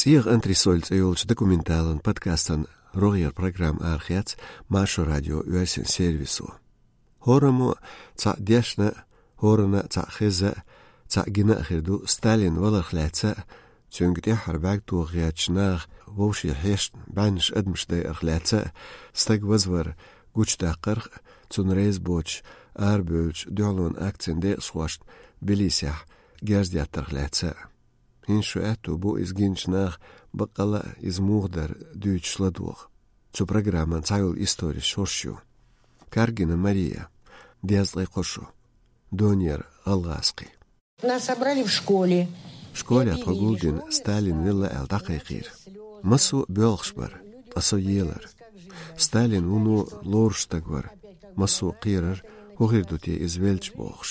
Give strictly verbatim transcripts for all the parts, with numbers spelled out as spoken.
«ЦӀийгӀа антресоль» цӀи йолчу документалан подкастан рогӀера программа арахецна Маршо радион оьрсийн сервисо. ХӀораммо цхьаъ дешна, хӀоранна цхьаъ хезна, цхьаъ гина а хир ду Сталин валарх лаьцна, цуьнга тӀаьххьара бӀаьрг тоха гӀертачу наха вовшийн хьешна бӀеннаш адамаш дайарх лаьцна, стаг вазвар гучудаккхарх, цунна реза боцуш арабевллачу дуьхьалонан акцин декъашхошна Тбилисехь герз деттарх лаьцна. ХӀинца шу аьтту бу иза гиначу наха баккъалла а иза муха дара дуьйцуш ладогӀа. Цу программан цхьайолу историш хӀорш ю. Каргина Мария, дезткъе кхо шо, Донера гӀалгӀазкхи. Нас собрали в школе. Школехь тхо гулдина Сталин велла аьлла дӀакхайкхийра. Массо а боьлхуш бара, ткъа со елара. Сталин вуно лоруш стаг вара. Массо а кхерара, хӀун хир ду те иза велча бохуш.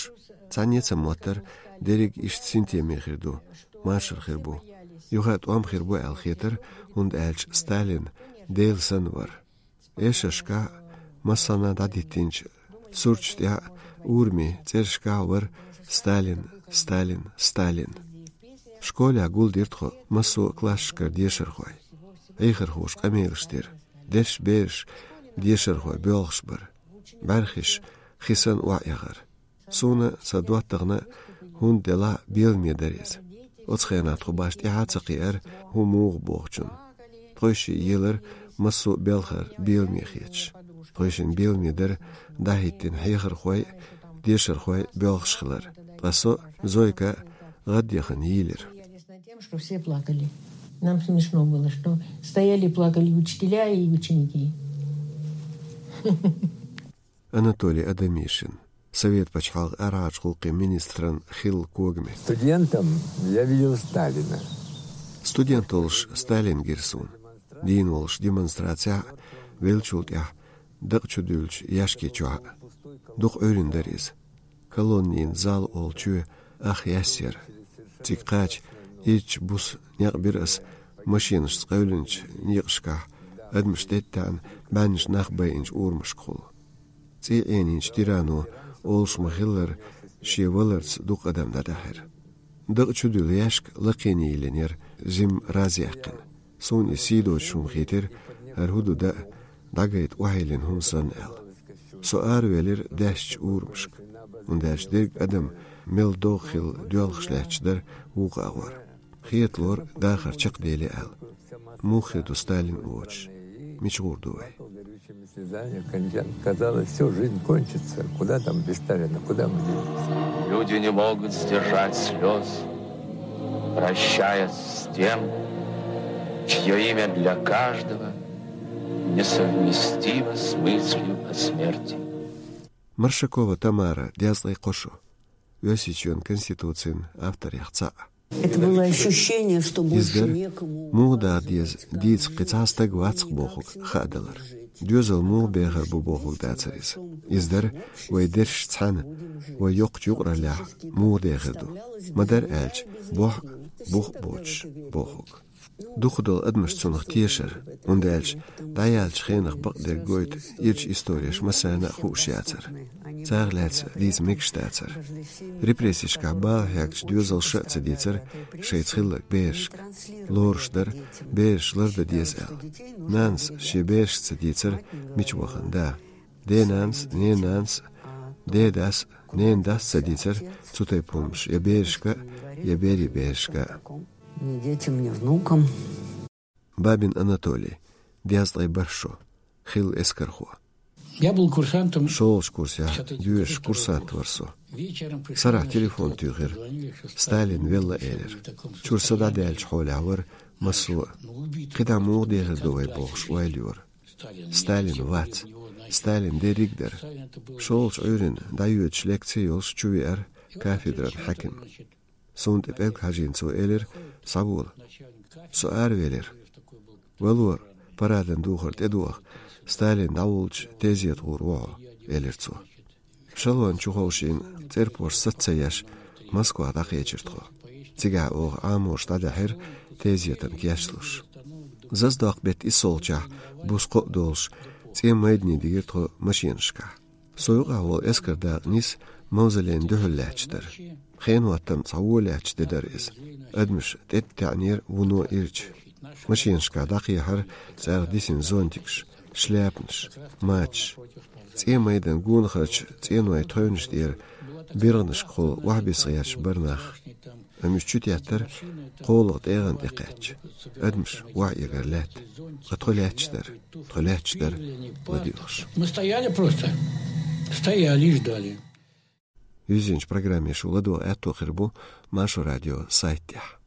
Цхьанне а ца моттара, дерриг иштта синтеме хир ду, машар хир бу. Юха а тӀом хир бу аьлла хетара, хӀунда аьлча Сталин Дела санна вара. Эшаршкахь а, массанхьа дӀадиттинчу сурташ тӀехь а, урамийн цӀерашкахь а вара: «Сталин, Сталин, Сталин». Школехь гулдира тхо массо а классашкара дешархой. Хьехархоша къамелаш дира. Дерриш бераш дешархой боьлхуш бара. БӀаьрхиш хи санна охьаэгӀара. Суна, сан доттагӀна, хӀунда делахь а беламе дара иза. Оцу хенахь тхо башха тӀаьхьа а ца кхиара, хӀун муха бохучунна. Тхойшиъ елара массо а белхар беламе хеташ. Тхойшинна беламе дара дӀахӀиттина хьехархой а, дешархой а боьлхуш хилар. Ткъа со а, Зойка а гӀаддехана йийлира. Тем, что все плакали. Нам смешно было, что стояли и плакали учителя и ученики. Анатолий Адамишин, Совет пачхьалкхан арахьарчу гӀуллакхийн министран хилла когаме. Студентом я видел Сталина. Студент волуш Сталин гира суна. Дийна волуш демонстрацехь а, веллачул тӀаьхьа дакъа чу дуьллучу яьшки чохь а. Дукха Ӏуьйрина дара иза. Колоннийн зал олучу ах яьсса яра. Цига кхача, ирча буса некъ бира ас машенашца къевлинчу некъашкахь, адамаш тӀетаьӀна, бӀеннаш нах байинчу урамашкахула. ЦӀий Ӏенийначу тирано олуш ма-хиллара, шен валарца дукха адам дӀадаьхьира. Дакъа чу дуьллу яьшка лакхене йиллина яра зима раз яьккхина. Суна иза сий доцуш хӀума хийтира, хӀара хӀун ду даа, дӀагайта охьайиллина хӀума санна аьлла. Со аравелира даьссачу урамашка, хӀунда аьлча дерриг адам мел догӀа хилла доьлхуш лаьтташ дара вукху агӀор. Хеталора дахар чекхдели аьлла. Муха хир ду Сталин воцуш? Мича гӀур ду вай? Казалось, всё, жизнь кончится. Куда там без Сталина? Куда мы денемся? Люди не могут сдержать слез, прощаясь с тем, чье имя для каждого несовместимо с мыслью о смерти. Маршакова Тамара, дезткъе кхо шо, Оьрсийчоьнан Конституцин авторех цхьаъ. Это было ощущение, что иза больше дара, некому муха даха деза, дийца кхин цхьа стаг вац-кх бохург хаадалар. Доьзал муха бехар бу бохург дацара иза. Иза дара, вай дерриш цхьаьна, вай йоккхачу юкъараллехь муха дехар ду. Ма-дарра аьлча, бохь а, бух а боцуш бохург. Дукхах долу адамаш цунах тешара, хӀунда аьлча дӀаяьллачу хенах бакъдерг гойту ирчу истореш массарна а хууш яцара. Царах лаьцна дийца мегаш дацара. Репрессешкахь бала хьегначу доьзалша а ца дийцара шайца хилларг берашка. Лоруш дара, бераш лардан деза аьлла. Нанас шен берашка ца дийцара, мича вахана да. Денанас, ненанас, дедас, ненадас ца дийцара цу тайпа хӀуманаш я берашка, я берийн берашка. Ни детям, ни внукам. Бабин Анатолий, дезткъе бархӀ шо, хилла эскархо. Я был курсантом. ШолгӀачу курсехь доьшуш курсант вара со. Сарахь телефон туьйхира. Сталин велла элира. Чуьра са дӀадаьллачу хьолехь вара массо а. КхидӀа муха дехар ду вай бохуш ойла йора. Сталин вац. Сталин дерриг а дара. ШолгӀачу Ӏуьйранна дӀайоьдуш лекци йолуш чувеара кафедран хьаькам. Суна тӀе пӀелг хьажийна цо элира: «Схьавола». Со аравелира. «Вало, парадана духар тӀедоха, Сталин дӀаволлучу тезета гӀур ву хьо», — элира цо. Эшелон чу ховшийна цӀерпошт сац ца еш, Москвахь дӀакхечира тхо. Цигахь оха Ӏаморша дӀадаьхьира тезетан кечлуш. Зазадоккху беттан иссолгӀачохь, буса кхоъ долуш, цӀен майдане дигира тхо машенашкахь. Со юкъахь волу эскар дакъа нис Мавзолейна дуьхьал лаьтташ дара. Хенан хӀоттам цхьа вон лаьтташ де дара иза. Адамаш тӀетаьӀнера вуно ирча. Машинашка дӀакхехьара цӀарах дисина зонтикаш, шляпанаш, мачаш. ЦӀен майдан гонахарчу цӀенойн тхевнаш тӀера биргӀанашкахула охьабисса гӀерташ бара нах. Амма уьш чу теттара кхоалгӀа тӀегӀан тӀе кхаьчча. Адамаш охьаэгара лаьтта. Ткъа тхо лаьтташ дара. Тхо лаьтташ дара ладоьгӀуш. Мы стояли просто. Стояли и ждали. Юьззинчу программе шу ладогӀа аьтто хир бу Маршо радион сайта тӀехь.